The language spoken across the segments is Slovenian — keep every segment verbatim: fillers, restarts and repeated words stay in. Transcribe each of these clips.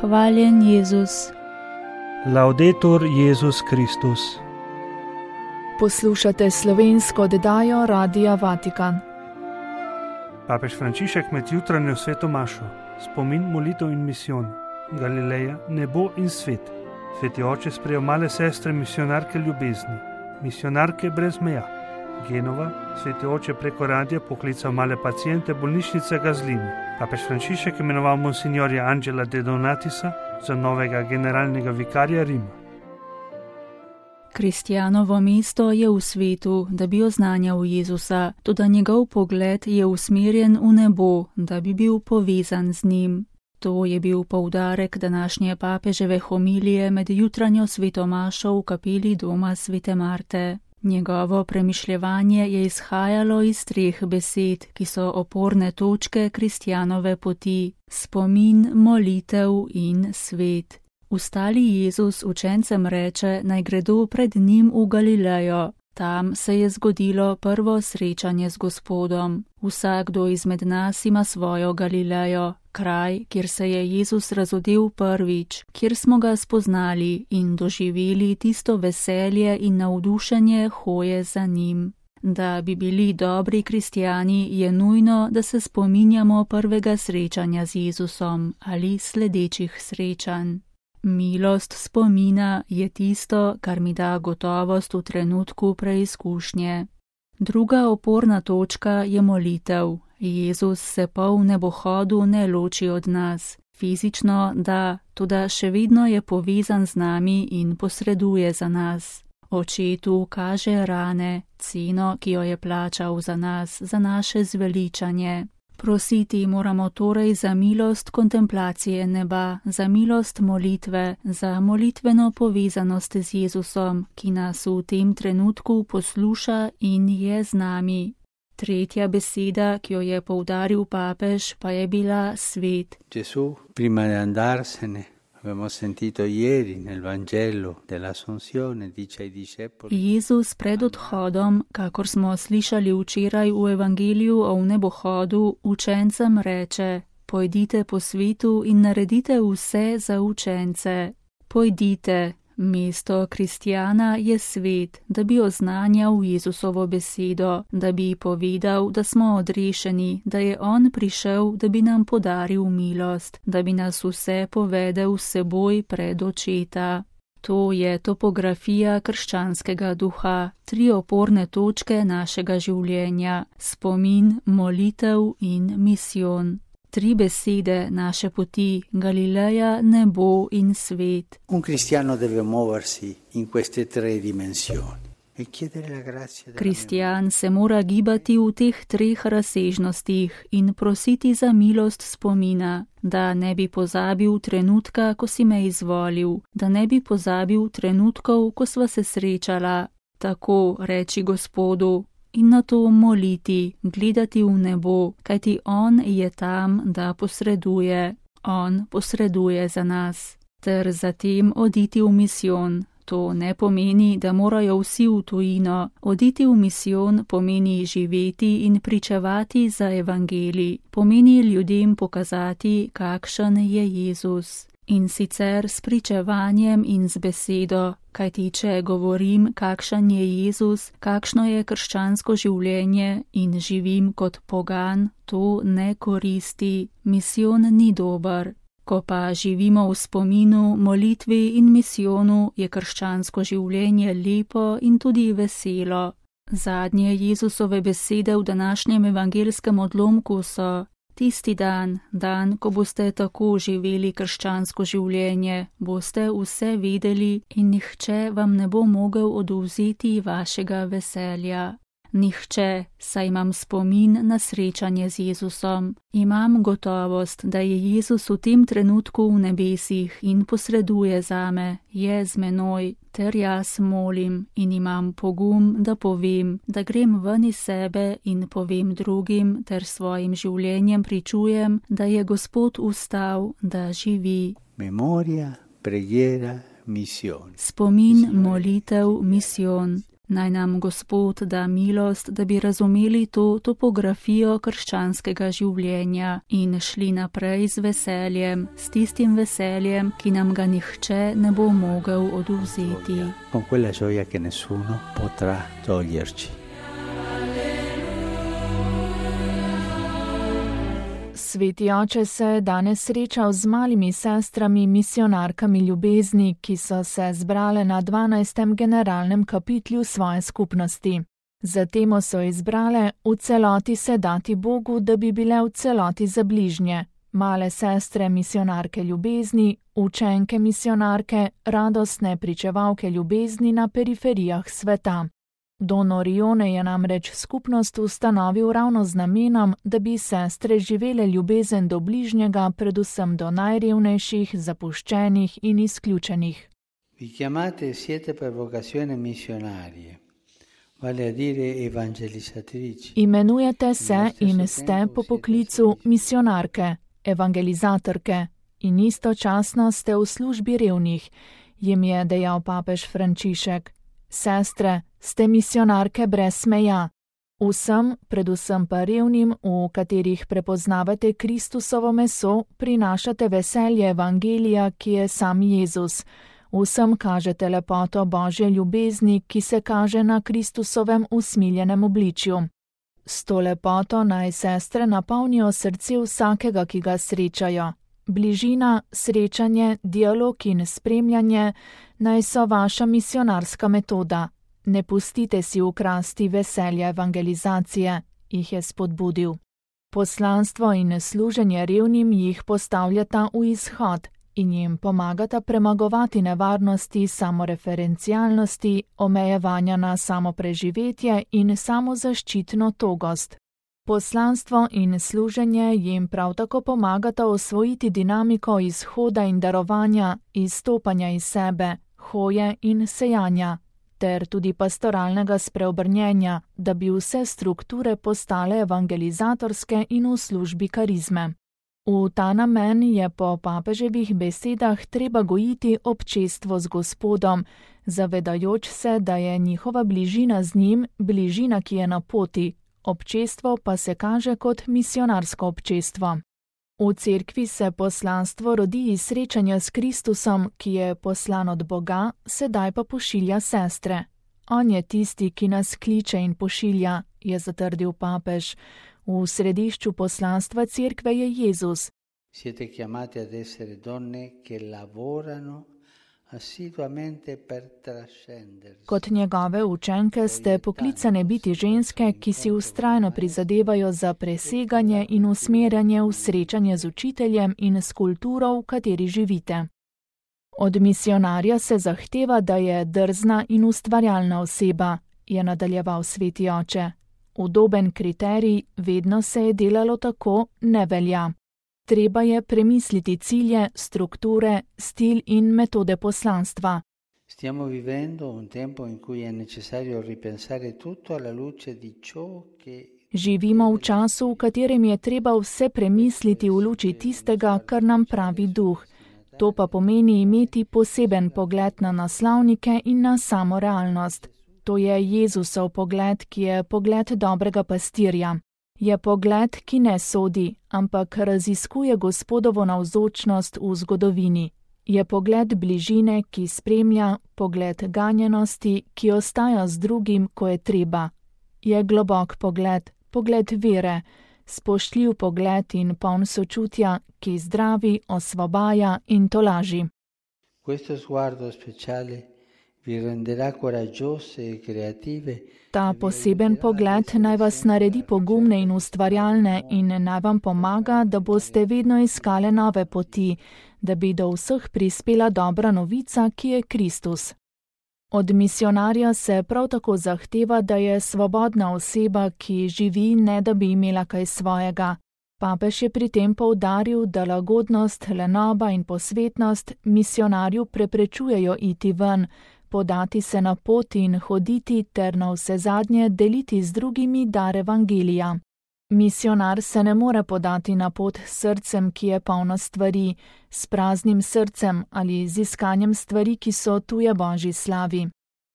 Hvaljen Jezus. Laudetur Jezus Kristus. Poslušate slovensko oddajo Radia Vatikan. Papež Frančišek med jutranjo sveto mašo, spomin, molitev in misijon, Galileja, nebo in svet. Sveti oče sprejel male sestre misionarke ljubezni, misionarke brez meja. Genova, sveti oče preko radija poklical male pacijente bolnišnice Gazlini. Papež Frančišek imenoval monsignorja Angela de Donatisa za novega generalnega vikarja Rima. Kristjanovo mesto je v svetu, da bi oznanjal Jezusa, toda njegov pogled je usmerjen v nebo, da bi bil povezan z njim. To je bil poudarek današnje papeževe homilije med jutranjo svetomašo v kapeli doma svete Marte. Njegovo premišljevanje je izhajalo iz treh besed, ki so oporne točke kristjanove poti: spomin, molitev in svet. Ustali Jezus učencem reče, naj gredo pred njim v Galilejo. Tam se je zgodilo prvo srečanje z Gospodom. Vsakdo izmed nas ima svojo Galilejo, kraj, kjer se je Jezus razodel prvič, kjer smo ga spoznali in doživeli tisto veselje in navdušenje hoje za njim. Da bi bili dobri kristjani, je nujno, da se spominjamo prvega srečanja z Jezusom ali sledečih srečanj. Milost spomina je tisto, kar mi da gotovost v trenutku preizkušnje. Druga oporna točka je molitev. Jezus se po nebohodu ne loči od nas. Fizično da, toda še vedno je povezan z nami in posreduje za nas. Očetu kaže rane, ceno, ki jo je plačal za nas, za naše zveličanje. Prositi moramo torej za milost kontemplacije neba, za milost molitve, za molitveno povezanost z Jezusom, ki nas v tem trenutku posluša in je z nami. Tretja beseda, ki jo je poudaril papež, pa je bila svet. Gesù, prima di andarsene, abbiamo sentito ieri nel Vangelo dell'Assunzione, dice ai discepoli. Jezus pred odhodom, kakor smo slišali včeraj v Evangeliju o nebohodu, učencem reče: pojdite po svetu in naredite vse za učence. Pojdite. Mesto kristjana je svet, da bi oznanjal Jezusovo besedo, da bi povedal, da smo odrešeni, da je On prišel, da bi nam podaril milost, da bi nas vse povedal s seboj pred očeta. To je topografija krščanskega duha, tri oporne točke našega življenja: spomin, molitev in misijon. Tri besede naše poti: Galileja, nebo in svet. Un cristiano deve muoversi in queste tre dimensioni e chiedere la grazia. Kristjan se mora gibati v teh treh razsežnostih in prositi za milost spomina, da ne bi pozabil trenutka, ko si me izvolil, da ne bi pozabil trenutkov, ko sva se srečala. Tako reči Gospodu. In na to moliti, gledati v nebo, kajti On je tam, da posreduje. On posreduje za nas. Ter zatem oditi v misijon. To ne pomeni, da morajo vsi v tujino. Oditi v misijon pomeni živeti in pričevati za evangelij. Pomeni ljudem pokazati, kakšen je Jezus. In sicer s pričevanjem in z besedo, kajti če govorim, kakšen je Jezus, kakšno je krščansko življenje in živim kot pogan, to ne koristi, misijon ni dober. Ko pa živimo v spominu, molitvi in misijonu, je krščansko življenje lepo in tudi veselo. Zadnje Jezusove besede v današnjem evangelskem odlomku so: tisti dan, dan, ko boste tako živeli krščansko življenje, boste vse vedeli in nihče vam ne bo mogel odvzeti vašega veselja. Nihče, saj imam spomin na srečanje z Jezusom. Imam gotovost, da je Jezus v tem trenutku v nebesih in posreduje zame, je z menoj, ter jaz molim in imam pogum, da povem, da grem ven iz sebe in povem drugim, ter svojim življenjem pričujem, da je Gospod vstal, da živi. Memoria, preghiera, misijon. Spomin, molitev, misijon. Naj nam Gospod da milost, da bi razumeli to topografijo krščanskega življenja in šli naprej z veseljem, s tistim veseljem, ki nam ga nihče ne bo mogel odvzeti. Con quella gioia che nessuno potrà toglierci. Sveti oče se je danes srečal z malimi sestrami misionarkami ljubezni, ki so se zbrale na dvanajstem generalnem kapitlju svoje skupnosti. Za temo so izbrale v celoti se dati Bogu, da bi bile v celoti za bližnje. Male sestre misionarke ljubezni, učenke misionarke, radostne pričevalke ljubezni na periferijah sveta. Don Orione je namreč skupnost ustanovil ravno z namenom, da bi sestre živele ljubezen do bližnjega, predvsem do najrevnejših, zapuščenih in izključenih. Vi chiamate siete per vocazione missionarie, vale a dire evangelizzatrici. Imenujete se in ste po poklicu misionarke, evangelizatorke in istočasno ste v službi revnih, jim je dejal papež Frančišek. Sestre, ste misionarke brez meja. Vsem, predvsem pa revnim, v katerih prepoznavate Kristusovo meso, prinašate veselje evangelija, ki je sam Jezus. Vsem kažete lepoto Božje ljubezni, ki se kaže na Kristusovem usmiljenem obličju. S to lepoto naj sestre napolnijo srce vsakega, ki ga srečajo. Bližina, srečanje, dialog in spremljanje naj so vaša misionarska metoda. Ne pustite si ukrasti veselja evangelizacije, jih je spodbudil. Poslanstvo in služenje revnim jih postavljata v izhod in jim pomagata premagovati nevarnosti samoreferencialnosti, omejevanja na samopreživetje in samozaščitno togost. Poslanstvo in služenje jim prav tako pomagata osvojiti dinamiko izhoda in darovanja, izstopanja iz sebe, hoje in sejanja, ter tudi pastoralnega spreobrnjenja, da bi vse strukture postale evangelizatorske in v službi karizme. V ta namen je po papeževih besedah treba gojiti občestvo z Gospodom, zavedajoč se, da je njihova bližina z njim bližina, ki je na poti, občestvo pa se kaže kot misionarsko občestvo. V cerkvi se poslanstvo rodi iz srečanja s Kristusom, ki je poslan od Boga, sedaj pa pošilja sestre. On je tisti, ki nas kliče in pošilja, je zatrdil papež. V središču poslanstva cerkve je Jezus. Siete chiamati ad essere donne che lavorano assiduamente per trascendersi. Kot njegove učenke ste poklicane biti ženske, ki si vztrajno prizadevajo za preseganje in usmerjanje v srečanje z učiteljem in s kulturo, v kateri živite. Od misionarja se zahteva, da je drzna in ustvarjalna oseba, je nadaljeval sveti oče. Udoben kriterij, vedno se je delalo tako, ne velja. Treba je premisliti cilje, strukture, stil in metode poslanstva. Stiamo vivendo un tempo in cui è necessario ripensare tutto alla luce di ciò che Živimo v času, v katerem je treba vse premisliti v luči tistega, kar nam pravi duh. To pa pomeni imeti poseben pogled na naslovnike in na samo realnost. To je Jezusov pogled, ki je pogled dobrega pastirja. Je pogled, ki ne sodi, ampak raziskuje Gospodovo navzočnost v zgodovini. Je pogled bližine, ki spremlja, pogled ganjenosti, ki ostaja z drugim, ko je treba. Je globok pogled, pogled vere, spoštljiv pogled in poln sočutja, ki zdravi, osvobaja in tolaži. Questo sguardo speciale vi renderà coraggiose e creative. Ta poseben pogled naj vas naredi pogumne in ustvarjalne in naj vam pomaga, da boste vedno iskale nove poti, da bi do vseh prispela dobra novica, ki je Kristus. Od misionarja se prav tako zahteva, da je svobodna oseba, ki živi, ne da bi imela kaj svojega. Papež je pri tem poudaril, da lagodnost, lenoba in posvetnost misionarju preprečujejo iti ven, podati se na pot in hoditi ter na vse zadnje deliti z drugimi dar evangelija. Misionar se ne more podati na pot s srcem, ki je polno stvari, s praznim srcem ali z iskanjem stvari, ki so tuje Božji slavi.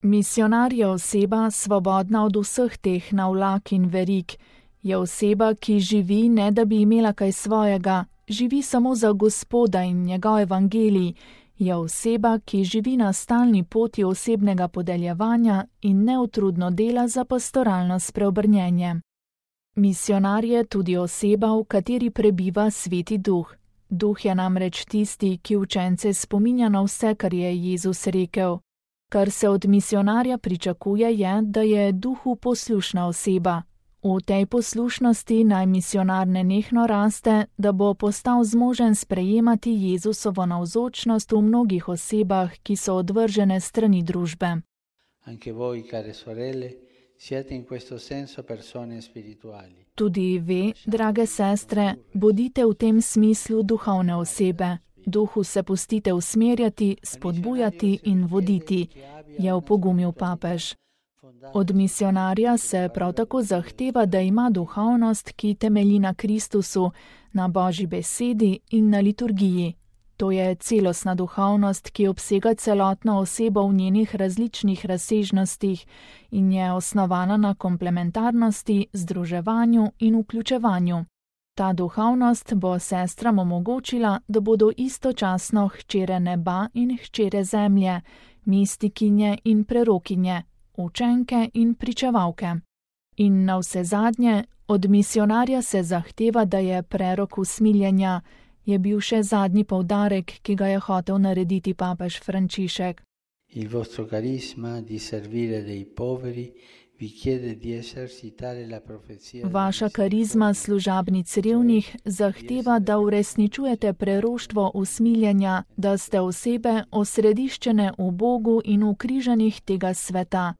Misionar je oseba svobodna od vseh teh navlak in verig. Je oseba, ki živi, ne da bi imela kaj svojega, živi samo za Gospoda in njegov evangelij. Je oseba, ki živi na stalni poti osebnega podeljevanja in neutrudno dela za pastoralno spreobrnjenje. Misionar je tudi oseba, v kateri prebiva Sveti Duh. Duh je namreč tisti, ki učence spominja na vse, kar je Jezus rekel. Kar se od misionarja pričakuje je, da je Duhu poslušna oseba. V tej poslušnosti naj misionar nenehno raste, da bo postal zmožen sprejemati Jezusovo navzočnost v mnogih osebah, ki so odvržene strani družbe. Anche voi, care sorelle, siete in questo senso persone spirituali. Tudi vi, drage sestre, bodite v tem smislu duhovne osebe. Duhu se pustite usmerjati, spodbujati in voditi, je opogumil papež. Od misionarja se prav tako zahteva, da ima duhovnost, ki temelji na Kristusu, na Božji besedi in na liturgiji. To je celostna duhovnost, ki obsega celotno osebo v njenih različnih razsežnostih in je osnovana na komplementarnosti, združevanju in vključevanju. Ta duhovnost bo sestram omogočila, da bodo istočasno hčere neba in hčere zemlje, mistikinje in prerokinje, učenke in pričevalke. In navsezadnje, od misionarja se zahteva, da je prerok usmiljenja, je bil še zadnji poudarek, ki ga je hotel narediti papež Frančišek. Il vostro carisma di servire dei poveri vi chiede di esercitare la profezia. Vaša karizma služabnic revnih zahteva, da uresničujete preroštvo usmiljenja, da ste osebe osrediščene v Bogu in v križanjih tega sveta.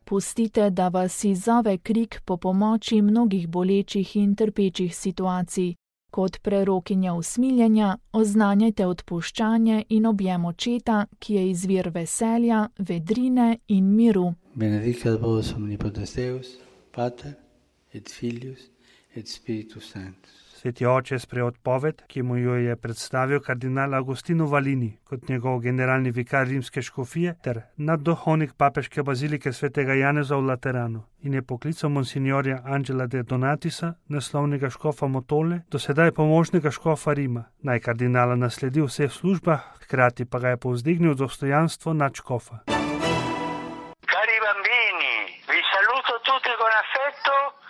Pustite, da vas izzove krik po pomoči mnogih bolečih in trpečih situacij. Kot prerokinja usmiljenja oznanjajte odpuščanje in objem očeta, ki je izvir veselja, vedrine in miru. Benedicat vos omnipotens Deus, Pater et Filius et Spiritus Sanctus. Sveti oče je sprejel odpoved, ki mu jo je predstavil kardinal Agostino Valini kot njegov generalni vikar rimske škofije ter nadduhovnik papeške bazilike svetega Janeza v Lateranu in je poklical monsignorja Angela de Donatisa, naslovnega škofa Motole, dosedaj pomožnega škofa Rima, naj kardinala nasledi v vseh službah, hkrati pa ga je povzdignil dostojanstvo nadškofa. Cari bambini, vi saluto tutti con affetto.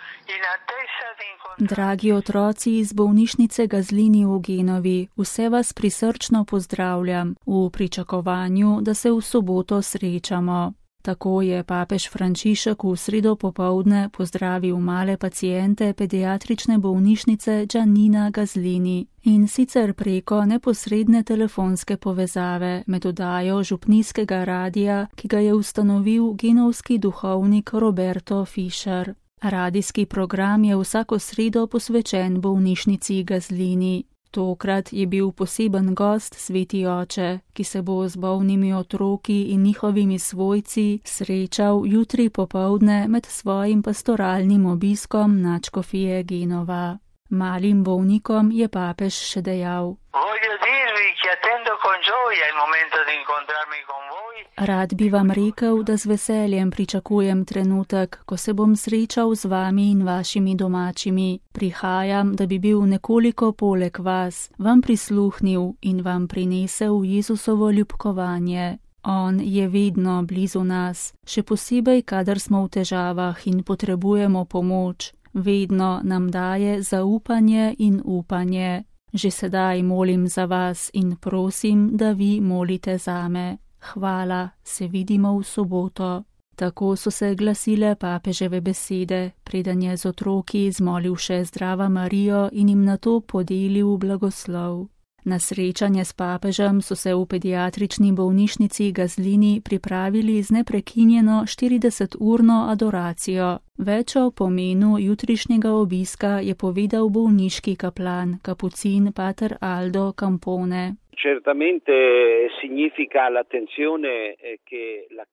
Dragi otroci iz bolnišnice Gazlini v Genovi, vse vas prisrčno pozdravljam v pričakovanju, da se v soboto srečamo. Tako je papež Frančišek v sredo popoldne pozdravil male paciente pediatrične bolnišnice Giannina Gazlini in sicer preko neposredne telefonske povezave med oddajo župnijskega radija, ki ga je ustanovil genovski duhovnik Roberto Fischer. Radijski program je vsako sredo posvečen bolnišnici Gazlini. Tokrat je bil poseben gost Sveti oče, ki se bo z bolnimi otroki in njihovimi svojci srečal jutri popoldne med svojim pastoralnim obiskom nadškofije Genova. Malim bolnikom je papež še dejal: Rad bi vam rekel, da z veseljem pričakujem trenutek, ko se bom srečal z vami in vašimi domačimi. Prihajam, da bi bil nekoliko poleg vas, vam prisluhnil in vam prinesel Jezusovo ljubkovanje. On je vedno blizu nas, še posebej, kadar smo v težavah in potrebujemo pomoč. Vedno nam daje zaupanje in upanje. Že sedaj molim za vas in prosim, da vi molite zame. Hvala, se vidimo v soboto. Tako so se glasile papeževe besede, preden je z otroki zmolil še Zdrava Marijo in jim nato podelil blagoslov. Na srečanje s papežem so se v pediatrični bolnišnici Gazlini pripravili z neprekinjeno štirideseturno adoracijo. Več o pomenu jutrišnjega obiska je povedal bolniški kaplan, kapucin pater Aldo Campone.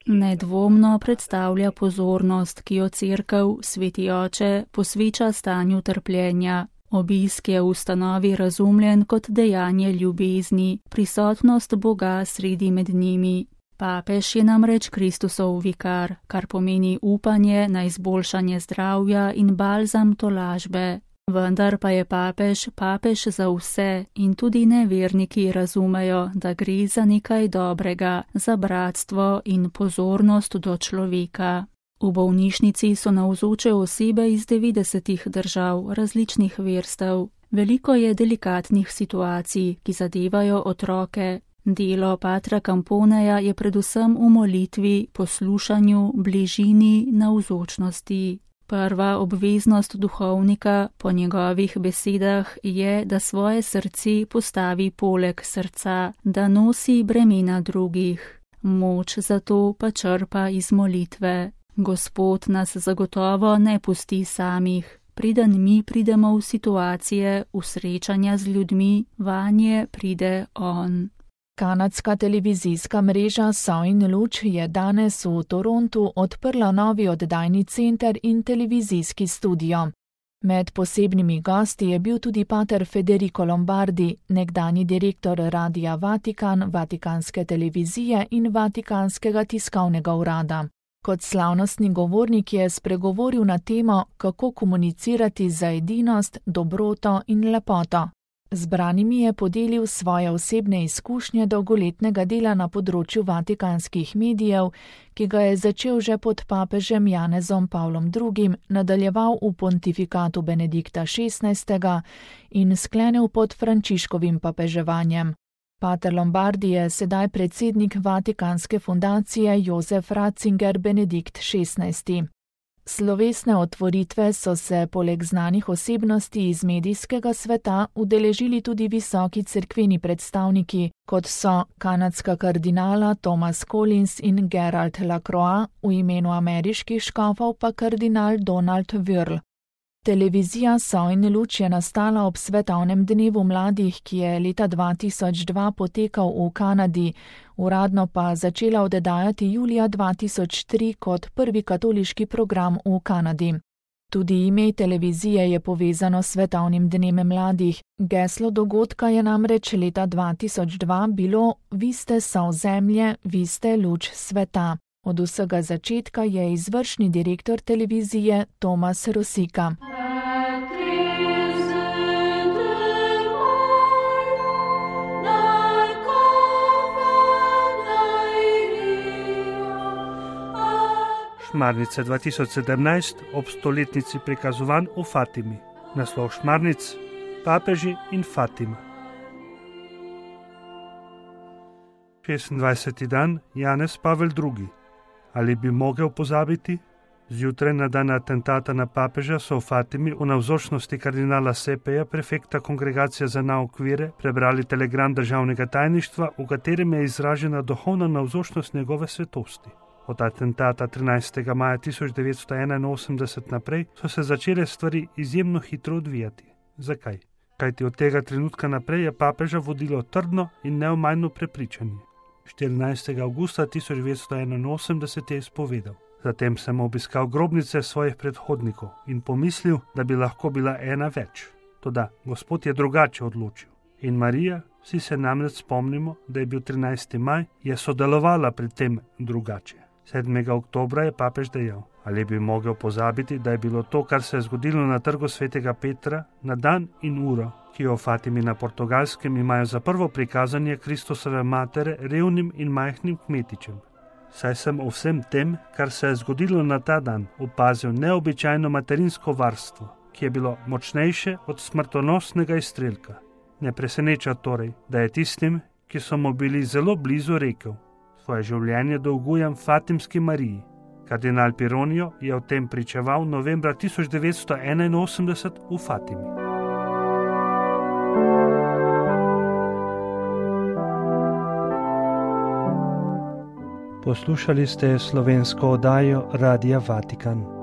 Nedvomno predstavlja pozornost, ki jo cerkev, Sveti oče, posveča stanju trpljenja. Obisk je v ustanovi razumljen kot dejanje ljubezni, prisotnost Boga sredi med njimi. Papež je namreč Kristusov vikar, kar pomeni upanje na izboljšanje zdravja in balzam tolažbe. Vendar pa je papež papež za vse in tudi neverniki razumejo, da gre za nekaj dobrega, za bratstvo in pozornost do človeka. V bolnišnici so navzoče osebe iz devetdesetih držav različnih verstev. Veliko je delikatnih situacij, ki zadevajo otroke. Delo patra Camponeja je predvsem v molitvi, poslušanju, bližini, navzočnosti. Prva obveznost duhovnika, po njegovih besedah, je, da svoje srce postavi poleg srca, da nosi bremena drugih. Moč za to pa črpa iz molitve. Gospod nas zagotovo ne pusti samih. Preden mi pridemo v situacije, v srečanja z ljudmi, vanje pride on. Kanadska televizijska mreža So in luč je danes v Torontu odprla novi oddajni center in televizijski studio. Med posebnimi gosti je bil tudi pater Federico Lombardi, nekdanji direktor Radia Vatikan, Vatikanske televizije in Vatikanskega tiskovnega urada. Kot slavnostni govornik je spregovoril na temo, kako komunicirati za edinost, dobroto in lepoto. Zbranimi je podelil svoje osebne izkušnje dolgoletnega dela na področju vatikanskih medijev, ki ga je začel že pod papežem Janezom Pavlom drugim, nadaljeval v pontifikatu Benedikta šestnajstega in sklenil pod Frančiškovim papeževanjem. Pater Lombardi je sedaj predsednik Vatikanske fundacije Jozef Ratzinger Benedikt šestnajsti. Slovesne otvoritve so se poleg znanih osebnosti iz medijskega sveta udeležili tudi visoki cerkveni predstavniki, kot so kanadska kardinala Thomas Collins in Gerald Lacroix, v imenu ameriških škofov pa kardinal Donald Wörl. Televizija So in luč je nastala ob svetovnem dnevu mladih, ki je leta dva tisoč dva potekal v Kanadi, uradno pa začela oddajati julija dva tisoč tri kot prvi katoliški program v Kanadi. Tudi ime televizije je povezano s svetovnim dnem mladih. Geslo dogodka je namreč leta dva tisoč dva bilo: Vi ste sol zemlje, vi ste luč sveta. Od vsega začetka je izvršni direktor televizije Tomas Rosika. Šmarnice dva tisoč sedemnajst ob stoletnici prikazovanj v Fatimi. Naslov šmarnic: Papeži in Fatima. šestindvajseti dan Janez Pavel drugi. Ali bi mogel pozabiti? Zjutraj na dan atentata na papeža so v Fatimi v navzočnosti kardinala Sepeja, prefekta Kongregacije za nauk vere, prebrali telegram državnega tajništva, v katerem je izražena duhovna navzočnost njegove svetosti. Od atentata trinajstega maja tisoč devetsto enainosemdeset naprej so se začele stvari izjemno hitro odvijati. Zakaj? Kajti od tega trenutka naprej je papeža vodilo trdno in neomajno prepričanje. štirinajstega avgusta tisoč devetsto enainosemdeset je izpovedal: Zatem sem obiskal grobnice svojih predhodnikov in pomislil, da bi lahko bila ena več. Toda Gospod je drugače odločil. In Marija, vsi se namreč spomnimo, da je bil trinajsti maj, je sodelovala pri tem drugače. sedmega oktobra je papež dejal: Ali bi mogel pozabiti, da je bilo to, kar se je zgodilo na trgu svetega Petra, na dan in uro, ki jo v Fatimi na Portugalskem imajo za prvo prikazanje Kristusove matere revnim in majhnim kmetičem. Saj sem o vsem tem, kar se je zgodilo na ta dan, opazil neobičajno materinsko varstvo, ki je bilo močnejše od smrtonosnega izstrelka. Ne preseneča torej, da je tistim, ki so mu bili zelo blizu, rekel: Svoje življenje dolgujem Fatimski Mariji. Kardinal Pironio je o tem pričeval novembra tisoč devetsto enainosemdeset v Fatimi. Poslušali ste slovensko oddajo Radia Vatikan.